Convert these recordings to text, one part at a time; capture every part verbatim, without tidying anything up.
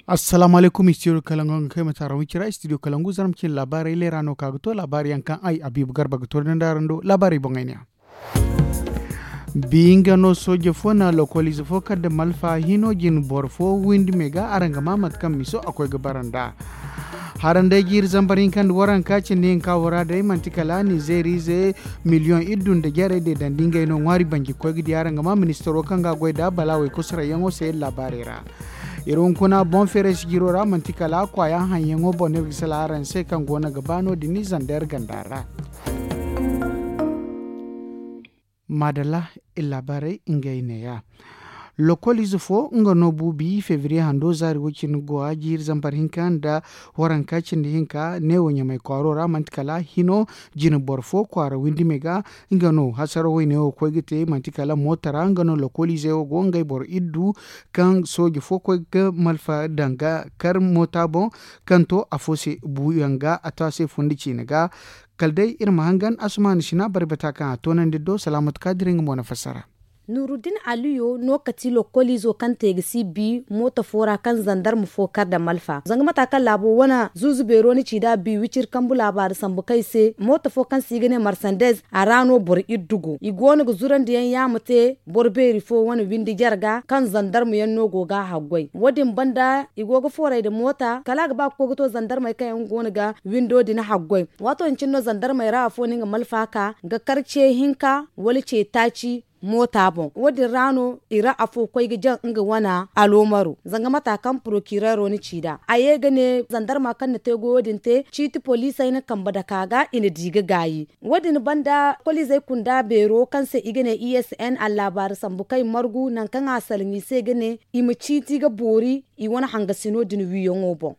Assalaamu alaykum, istidiyo kalangu nga kay mate araŋ wicira istidiyo kalangu zarma cine laabaarey leera no ka ga to laabaari yaŋ kaŋ ay abiibu garba ga to da ndaaran do laabaarey boŋey ne. Bi nga no sooje fo na lokoliize fo kar nda malfa hino jine boro fo windi me ga araŋ ga maa mate kaŋ miso a koy ga bara nd'a. Haranday jiiri zambar hinka nda waranka cindi hinka wo ra day manti kala nizeeriize miliyoŋ iddu nda jarey deedandi ngey no ŋwaari banji koy ga di araŋ ga maa ministaro kaŋ ga a goy nd'a balaawey kosorayyaŋo se laabaarey ra. Iri hunkuna boŋ feeray sijiro ra manti kala kwaaya haŋyaŋo boŋ no iri ga sala araŋ se kaŋ go no ga ba no- din ni zander ganda ra. Maadalla. Iri laabaarey ngey neeya. Lokoliize fo nga no bu bi febriye hando zaari wo- cine go a jiiri zambar hinka nda waranka cindi hinka neewo ɲamay kwaaro ra manti kala hino jine boro fo kwaara windi me ga. Nga no hasara wayne wo koy ga te manti kala moota ra nga no lokoliizey wo go ngey boro iddu kaŋ sooje fo koy ga malfa daŋ ga kar moota boŋ kaŋ to afo se buuyaŋ ga a to a se fundi ciine ga. Kala day iri ma hangan asumaani sina bari bata kaŋ a toonandi do salaamatu kaadiri nga mo na fassara. Nuuruddin aliyo no ka ti lokkoliizo kaŋ te ga si bi mooto fo ra kaŋ zandarma fo kar nda malfa zanga mata kaŋ laabo wane zuuzu beero ni ci nd'a bi wiciri kambu laabaari sambu kaŋ i se mooto fo kaŋ se i ga ne marsandez a ra no boro iddu go i go no ga zurandiyaŋ yaama te boro beeri fo wane windi jarga kaŋ zandarma yaŋ no go ga a haggoy wo- din banda i go ga fooray nda moota kala a ga ba ga koy ga to zandarmey kaŋ yaŋ go no ga windo din haggoy. Waato din cine no zandarmey ra afo no nga malfa ka ga kar ce hinka wala ce taaci moota boŋ wo- din ra no i ra afo koy ga jaŋ nga wane aloomaro zanga mata kaŋ porokireero na ci nd'a a ye ga ne zandarma kaŋ na te goyo din te ciiti poliisey na kambe dake a ga i na di ga gaayi. Wo- din banda koliizey kunda beero kaŋ se i ga ne i s n allaabaari sambu kaŋ i margu nangu kaŋ a salaŋ i se ga ne i ma ciiti ga boori i wane hangasino din wiiyaŋo boŋ.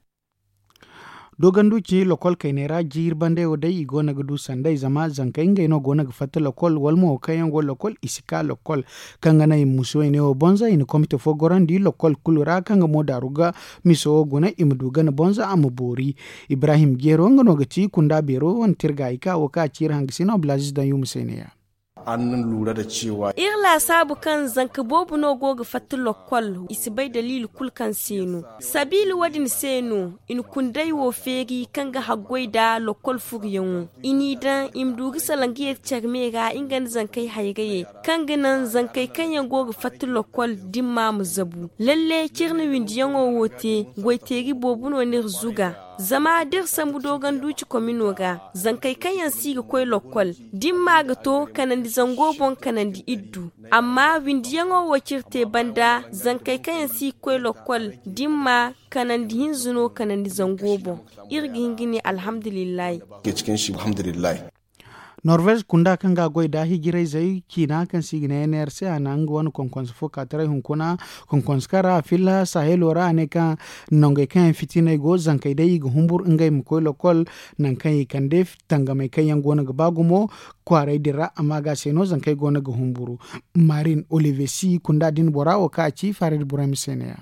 Doogandu ci lokol kayney ra jiiri bandey wo day i go no ga du sanday zama zankey ngey no go no ga fatta lokol wala mo kaŋ yaŋ go lokol i si ka lokol kaŋ ga naŋ i ma musu wayne wo bonza i na komite fo gorandi lokol kulu ra kaŋ ga mo daaru ga miso wo guna i ma du gana bonza a ma boori. Ibrahim jeero nga no ga ti kunda beero wane tirga i ka wo kaŋ a ci iri hangasino abdulaziz daŋ yuma se neeya. Iri laasaabu kaŋ zanka boobo no go ga fatta lokkol i si bay daliili kulu kaŋ se no sabiila wo- din se no i na kunday wo feeri kaŋ ga haggoy nda lokkol furuyaŋo i n'i daŋ i ma du ga salaŋ ga yar care me ra nga nda zankey hayrayey kaŋ ga naŋ zankey kaŋ yaŋ go ga fatta lokkol dimma ma zabu lalle cire na windiyaŋo wo te goyteeri boobo no n'iri zuga. Zama da iri sambu dooganduuci komino ra zankey kaŋ yaŋ si ga koy lokkol dimma ga to kanandi zango boŋ kanandi iddu amma windiyaŋo wo cire te banda zankey kaŋ yaŋ si ga koy lokkol dimma kanandi hinza no kanandi zango boŋ. Iri ga hin ga ne alhamdulillahi. Norvez kunda kaŋ ga a goy nda hijirayzey ciina kaŋ se i ga ne enerse a na nga wane konkonse fo ka taray hunkuna konkonse kaŋ ra a filla sahelo ra a ne kaŋ nangey kaŋ yaŋ fitiney go zankey day i ga humbur ngey ma koy lokol nangu kaŋ i kande tangamey kaŋ yaŋ go no ga ba gumo. Kwaaray din ra amma ga se no zankey go no ga humburu. Marin olivesi kunda din bora wo kaŋ a ci farid burayma se ne ya.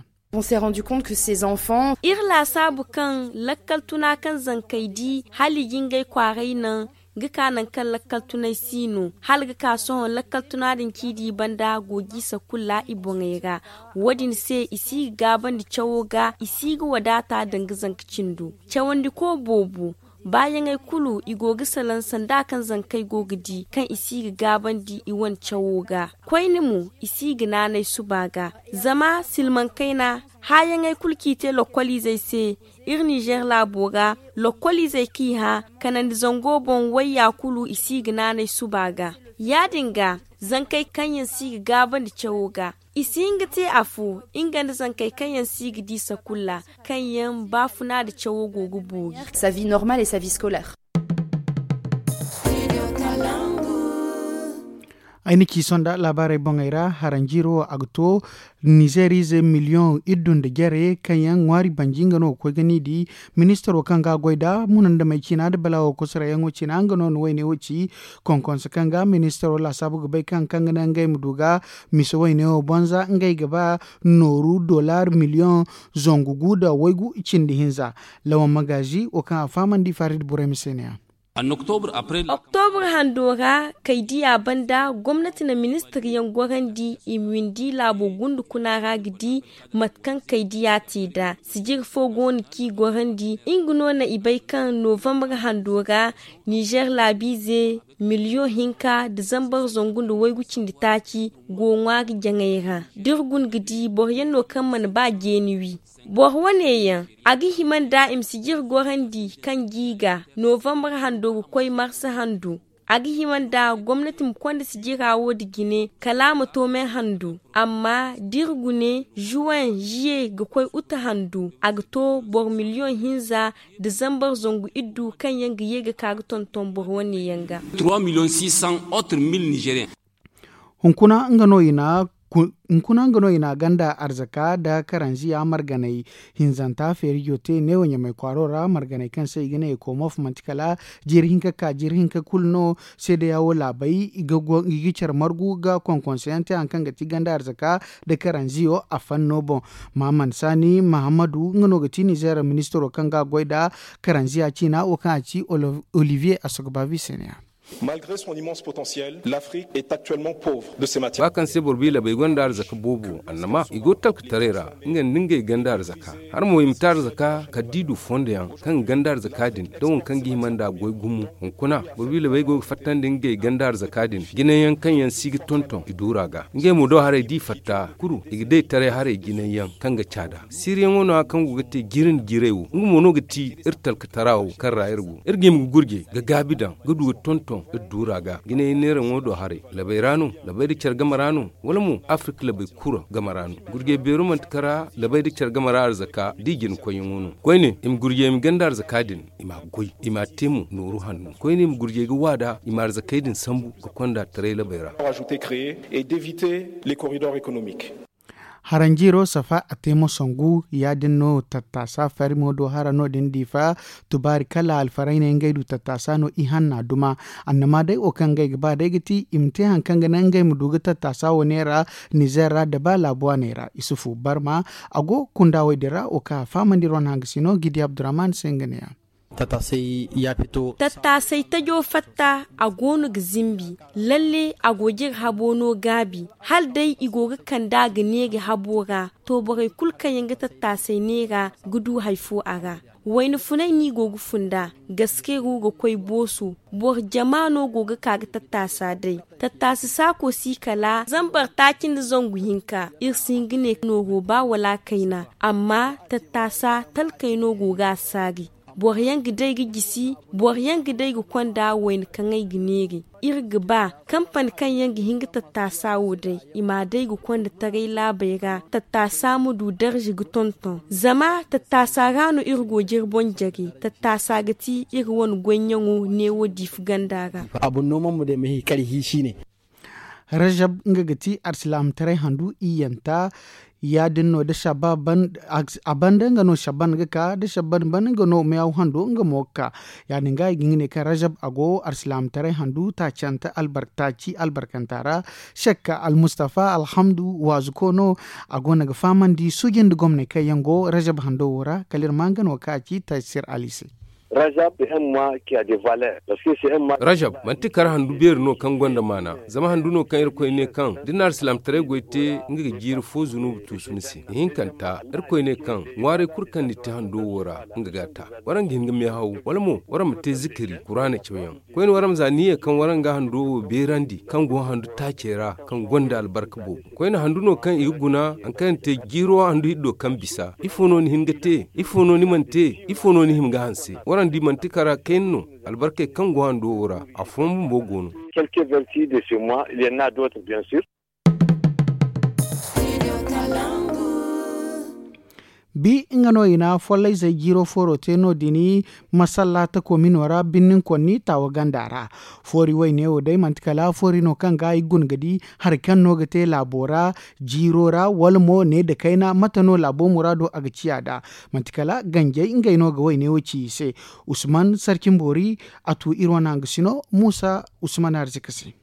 Iri laasaabu kaŋ lakkal tuna kaŋ zankey di hala i ga ngey kwaaray naŋ ga ka nangu kaŋ lakkal tunay si no hala ga ka sohõ lakkal tuna din kaŋ i di banda go ga i sakulla i boŋey ra. Wo- din se i si ga gaabandi cawo ga i si ga wadaata danga zanka cindo cawandiko boobo. Baayaŋey kulu i go ga salaŋ sanda kaŋ zankey go ga di kaŋ i si ga gaabandi i wane cawo ga koyne mo i si ga naanay suba ga. Zama silmaŋ kayna haayaŋey kulu kaŋ i te lokkoliizey se iri ninzeer laabo ra lokkoliizey kaŋ i hã kanandi zango boŋ wayya kulu i si ga naanay suba ga. Ya- din ga zankey kaŋ yaŋ si ga gaabandi cawo ga i si hin ga te afo nga nda zankey kaŋ yaŋ si ga di sakulla kaŋ yaŋ baafuna nda cawo go ga boori. Ay na ci sonda laabaarey boŋey ra haranjiiro wo a ga to nizeeriize miliyoŋ iddu nda jare kaŋ yaŋ ŋwaari banji nga no ga koy ga ni di. Ministaro kaŋ ga a goy nda munandamey ciina nda balaawo kosoroyaŋo ciina nga no na wayne wo ci. Konkonse kaŋ ga ministaro laasaabu ga bay kaŋ kaŋ ga naŋ ngey ma du ga mise wayne wo bonza ngey ga ba nooru dollar miliyoŋ zangu gu nda waygu cindi hinza. Lawan magaazi wo kaŋ a fahamandi farid burayma se ne ya. Oktobur hando ra kaydiya banda gomnati na ministir yaŋ gorandi i ma windi laabo gundu kuna ra ga di mate kaŋ kaydiya te nd'a sijir fo go no kaŋ i gorandi nga no na i bay kaŋ novambar hando ra nizer laabiize miliyoŋ hinka nda zambar zangu nda waygu cindi taaci go ŋwaari jaŋay ra da iri guna ga di boro yaŋ no kaŋ mana ba jeeni wi boro wane yaŋ a ga hima nda i ma sijir gorandi kaŋ ga i ga novambar hando ga koy marsa hando a ga hima nda gomnati ma konda sijira wo nda jine kala a ma to me hando amma da iri gune juwen ziye ga koy uta hando a ga to boro miliyoŋ hinza nda zambar zangu iddu kaŋ yaŋ ga ye ga ka ga tonton boro wane yaŋ ga. Hunkuna nga no i na ganda arzaka nda karanziya marganay hinzanta feerijo te neewo ɲamay kwaaro ra marganay kaŋ se i ga ne ekomof manti kala jiiri hinka ka jiiri hinka kulu no seedeya wo laabay i ga care margu ga konkonse yaŋ te hari kaŋ ga ti ganda arzaka nda karanziyo a fanno boŋ. Mahammad sani mahammadu nga no ga ti nizeer ministiro kaŋ ga a goy nda karanziya ciina wo kaŋ a ci oliviye asogbavi se ne ya. Malgre son immense potentiel l'afrique est actuellement pauvre de ses matières. Ba kaŋ se boro biila bay gonda arzaka boobo annama i go talkataray ra nga nda ngey ganda arzaka har mo i ma te arzaka kala da i du fondo yaŋ kaŋ ga ganda arzaka din da waŋ kaŋ ga hima nda goy gumo. Hunkuna boro biila bay go ga fattandi ngey ganda arzaka din jinay yaŋ kaŋ yaŋ si ga tonton i duura ga ngey mo do haray da i fatta kulu i ga day taray haray jinay yaŋ kaŋ ga caada siiriyaŋo no- ya kaŋ go ga te jiiri nda jiiray wo nga mo no ga ti iri talkatara wo kaŋ ra iri go iri ga hima ga gurjay ga gaabi daŋ ga du ga tonton iri duura ga jinay yaŋ neeraŋo do haray labay ra no labay nda care game ra no wala mo afirka labay kura game ra no gurjay beero manti kara labay nda care game ra arzaka da i jina koyyaŋo no koyne i ma gurjay i ma ganda arzaka din i m'a goy i m'a te mo nooru hanno koyne i ma gurjay ga waada i ma arzakey din sambu ga konda taray labay ra. Haranjiiro safa a te mo sangu ya- din no tattaasa farimo do hara no- din diifa tubaari kala alfarayne ngey du tattaasa no i hanna duma annama day wo kaŋ ngey ga ba day ga ti i ma te hari kaŋ ga naŋ ngey ma du ga tattaasa wo neera nizeer ra nda ba laabu waaney ra isufu barma a go kunda wo- din ra wo kaŋ a fahamandi iri wane hanga sino gidi abdurrahman se nga ne- ya. Tattaasay tajo fatta a go no ga zimbi lalle a go ga iri habo no gaabi hala day i go ga kand'a ga neeri habo ra to borey kulu kaŋ yaŋ ga tattaasay neera ga du hari fo a ra. Wayna funay no i go ga funda gaskey ru ga koy booso boro jama no go ga ka ga tattaasa day tattaasa saako si kala zambar taaci nda zangu hinka iri si hin ga ne nooro ba wala kayna amma tattaasa talkey no go ga a saari. Boro yaŋ ga day ga jisi boro yaŋ ga day ga konda wayna kaŋ ay ga neeri iri ga ba kampani kaŋ yaŋ ga hin ga tattaasa wo day i m'a day ga konda taray laabey ra tattaasa ma du darza ga tonton zama tattaasa ra no iri go ga iri boŋ jare tattaasa ga ti iri wane goyyaŋo neewo diifa ganda ra. Rajab nga ga ti alsilaamataray handu iyyanta ya- din no da shabban a banda nga no shabban ga ka da shabban ban nga no meew hando nga mo ga ka. Ya- din ga i ga hin ga ne kaŋ rajab a go alsilaamataray handu taacanta albarkanta ra shakka almustafa alhamdu waazuko no a go no ga fahamandi suuji nda gomney kaŋ yaŋ go rajab hando wo ra kala iri ma nga no kaŋ a ci taysir ali se. Rajab manti kar handu beeri no kaŋ gonda maana zama handu no kaŋ irkoy ne kaŋ da ni na alsilaamataray goy te nga ga jiiri fo zunubu tuusu ni se ihinkanta irkoy ne kaŋ ŋwaaray kulu kaŋ ni te hando wo ra nga ga a ta. Waraŋ ga hin ga meehaw wala mo waraŋ ma te zikiri kuraana cawyaŋ koyne waraŋ ma za ni ye kaŋ waraŋ ga hando wo beerandi kaŋ go handu taacey ra kaŋ gonda albarka boobo koyne handu no kaŋ i ga guna hari kaŋ yaŋ te jiiro handu hiddo kaŋ bisa ifo no ni hin ga te ifo no ni mana te ifo no ni hima ga hanse waraŋ di manti kara kayna no albarkey kaŋ go hando wo ra afooyaŋ bumbo go no. Bi nga no i na follayzey jiiro fooro te no- din masalla takomino ra binninkonni taawa ganda ra. Foori wayne wo day manti kala foori no kaŋ ga i guna ga di hari kaŋ no ga te laabo ra jiiro ra wala mo ne nda kayna mate no laabo muraado a ga ciya nd'a. Manti kala ganjey ngey no ga wayne wo ci i se. Usman sarcin boori a tu iri wane hangasino muusa usman arzika se.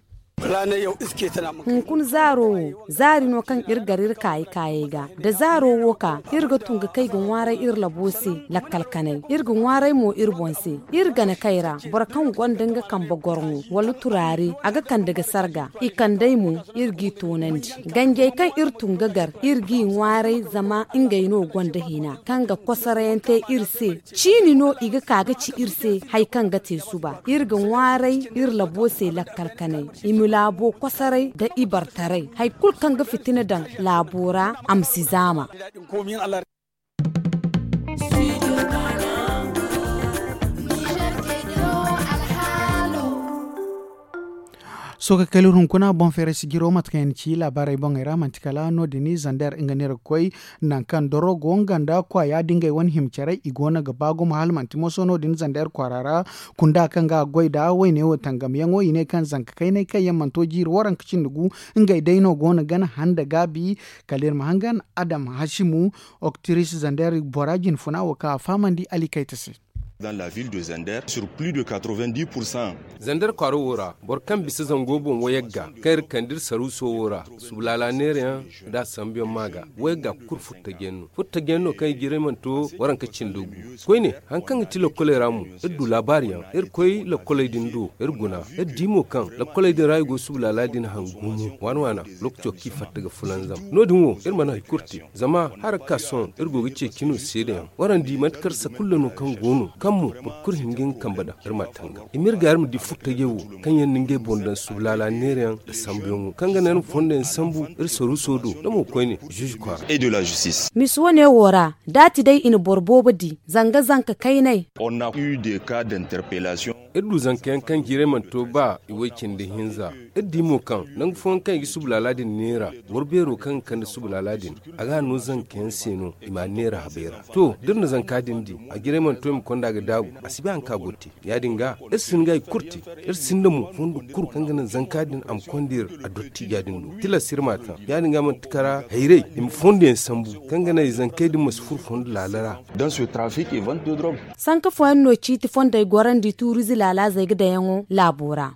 Hunkuna zaaro wo zaari no kaŋ iri gar iri kaayi kaayey ga. Da zaaro wo ka iri ga tun ga kay ga ŋwaaray iri labo se lakkal kanay. Iri ga ŋwaaray mo iri boŋ se. Iri gana kay ra boro kaŋ gonda nga kambe gorŋo wala turaare a ga kande ga sarga. I kand'ey mo iri g'i toonandi. Ganjey kaŋ iri tun ga gar iri g'i ŋwaaray zama ngey no gonda hina kaŋ ga kosorayaŋ te iri se. Ciini no i ga ka ga ci iri se hari kaŋ ga te suba iri ga ŋwaaray iri labo se lakkal kanay. I ma laabo kosoray nda ibartaray hari kulu kaŋ ga fitina daŋ laabo ra a ma si zaama. Sohõ ga kala iri hunkuna boŋ feeray sijiro mate kaŋ yaŋ ci laabaarey boŋey ra manti kala no- din zander nga neera ga koy nangu kaŋ doro go nga nda kwaaya da ngey wane hima care i go no ga ba gumo hala manti moso no- din zander kwaara ra. Kunda kaŋ ga a goy nd'a wayne wo tangamyaŋo i ne kaŋ zanka kaynay kaŋ yaŋ mana to jiiri waranka cindi gu ngey day no go no gana handa gaabi. Kala iri ma hangan adam hasimu oktiris zander bora jinfuna wo kaŋ a fahamandi alikayta se. Zander kwaaro wo ra boro kaŋ bisa zango boŋ wayagga kaŋ iri kande iri saruuso wo ra subulaala neerayaŋ nda a sambuyaŋ ma ga wayagga kulu furtajiyaŋ no furtajiyaŋ no kaŋ i jiray mana to waranka cindo gu. Koyne hari kaŋ ga ti lakkoley ra mo iri du laabaariyaŋ iri koy lakkoley din do iri guna iri di mo kaŋ lakkoley din ra i go subulaala din hangu gumo waana waana. Lookaco kaŋ i fatta ga fulanzam no- din wo iri mana hari kulu te zama hala ga ka sohõ iri go ga ceeci no seedayaŋ warandi manti kar sakulla no kaŋ go no kaŋ mo boro kulu hin ga nga kambe daŋ iri ma a tangam i ma iri ga iri ma di furtajey wo kaŋ yaŋ na ngey boŋ daŋ subulaala neerayaŋ nda sambuyaŋo kaŋ ga naŋ iri ma fondo yaŋ sambu iri saruuso do da mo koyne zuuzu kwaara. Misa wane wo ra da a ti day i na boro boobo di zanga zanka kaynay. Iri du zanka yaŋ kaŋ jiirey mana to ba i way cindi hinza. Iri di mo kaŋ nangu fooyaŋ kaŋ i ga subulaala din neera boro beero kaŋ ga kande subulaala din a ga a no zanka yaŋ se no i m'a neera habey ra. To da iri na zanka din di a jiray mana to i ma konda ga daabu a si bay hari kaŋ a go ga te. Ya- din ga iri si hin ga hari kulu te iri sinda mo fondo kulu kaŋ ga naŋ zanka din a ma konda iri a dottiija din do tilas iri m'a taŋ. Ya- din ga manti kara hayray i ma fondo yaŋ sambu kaŋ ga naŋ i zankey din ma si furo fondo laala ra. Sanka fooyaŋ no ciiti fondey gorandi tuuriize laalaazey ga daŋyaŋo laabo ra.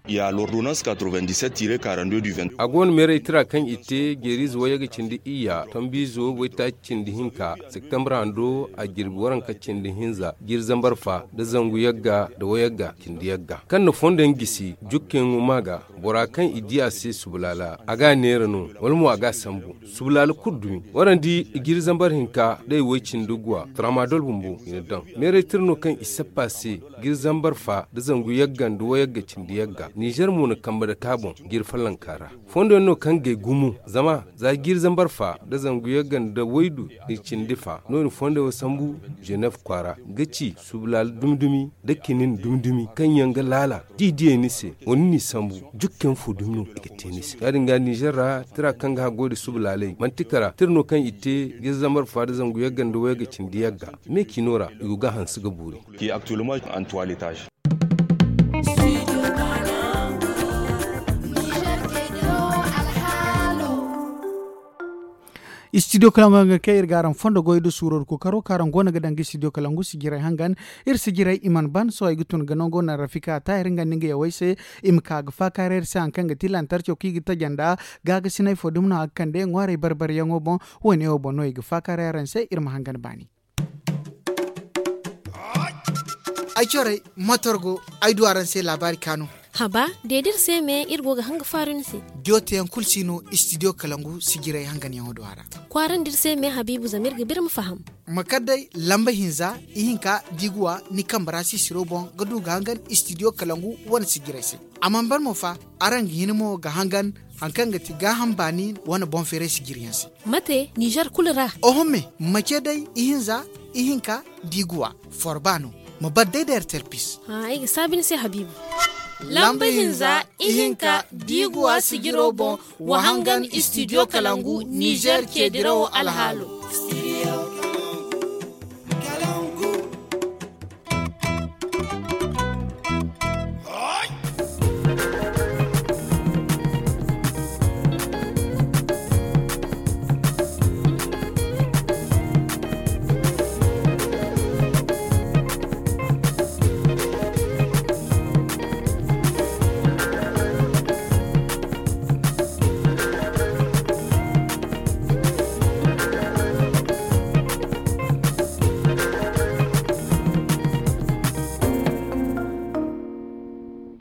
A go no meeray tira kaŋ i te jeeriize wayye ga cindi iyya tombiizo waytaaci cindi hinka septembre hando a jirbi waranka cindi hinza jiiri zambar fa nda zangu yagga nda wayagga cindi yagga kaŋ na fondo yaŋ gisi jukkayaŋo ma ga bora kaŋ i di a se subulaala a ga a neera no wala mo a ga a sambu. Subulaala kulu dumi warandi jiiri zambar hinka da i way cindi guwa tramadol bumbo i na daŋ meeray tira no kaŋ i sappa se jiiri zambar fa nda zangu yagga nda wayagga cindi yagga nizer mo na kambe dake a boŋ jiiri follonka ra. Fondo yaŋ no kaŋ gay gumo zama za jiiri zambar fa nda zangu yagga nda waydu nda cindi fa no- din fondo yaŋ wo sambu ženef kwaara ga ci subulaala dumi dumi nda kinin dumi dumi kaŋ yaŋ ga laala da i diyey ni se wala ni n'i sambu jukkayaŋ fo dumi no i ga te ni se ya- din ga nizer ra tira kaŋ ga haggoy nda subalaaley manti kara tira no kaŋ i te jiiri zambar fa nda zangu yagga nda wayagga cindi yagga me ciino ra i go ga a hanse ga boori. Istidiyo kalangu hangan kaŋ iri ga araŋ fondo goy nda suuro nda kookaro kaŋ araŋ go no ga daŋ ga istidiyo kalangu sijirey hangan. Iri sijirey i mana ban sohõ ay ga tun ga nango naŋ rafika taahir nga nda nga yawey se. I ma ka ga faakaaray iri se hari kaŋ ga ti lantarco kaŋ i ga taja nd'a gaagasinay fo dumi no a ga kande ŋwaarey bar-baryaŋo boŋ. Woone wo boŋ no i ga faakaaray araŋ se iri ma hangan baani. Ay corey motor go ay du araŋ se laabaari kaanu. Haba, deed'iri se me iri go ga hanga faaru ni se. Jooteyaŋ kulu si no istidiyo kalangu sijirey hanganyaŋo do a ra. Kwaarand'iri se me habiibu zama iri ga birma faham. Ma kar day lamba hinza ihinka diiguwa ni kambe ra sisiro boŋ ga du ga hangan istidiyo kalangu wane sijirey se. A mana ban mo fa, araŋ ga hin mo ga hangan hari kaŋ ga ti gaaham baani wane boŋ feeray sijiriyaŋ se. Mate nizer kulu ra? Oho me, ma ce day ihinza ihinka diiguwa forba no. Ma bar day da ertel pis. Ay ga saabi ni se habiibu. Lamba hinza ihinka diiguwa sijiro boŋ wa hangan istidiyo kalangu nizer ceedirawo alhaalo.